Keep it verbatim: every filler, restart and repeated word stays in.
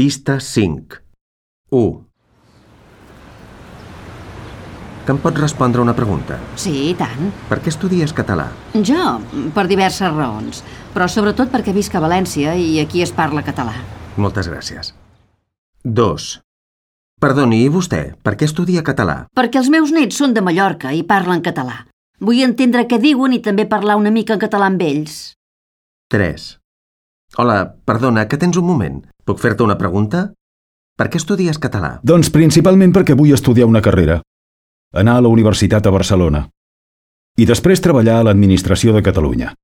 Pista cinc. u. Que em pots respondre una pregunta? Sí, i tant. Per què estudies català? Jo, per diverses raons, però sobretot perquè visc a València i aquí es parla català. Moltes gràcies. dos. Perdoni, i vostè, per què estudia català? Perquè els meus nets són de Mallorca i parlen català. Vull entendre què diuen i també parlar una mica en català amb ells. tres. Hola, perdona, que tens un moment. Puc fer-te una pregunta? Per què estudies català? Doncs principalment perquè vull estudiar una carrera. Anar a la Universitat a Barcelona. I després treballar a l'administració de Catalunya.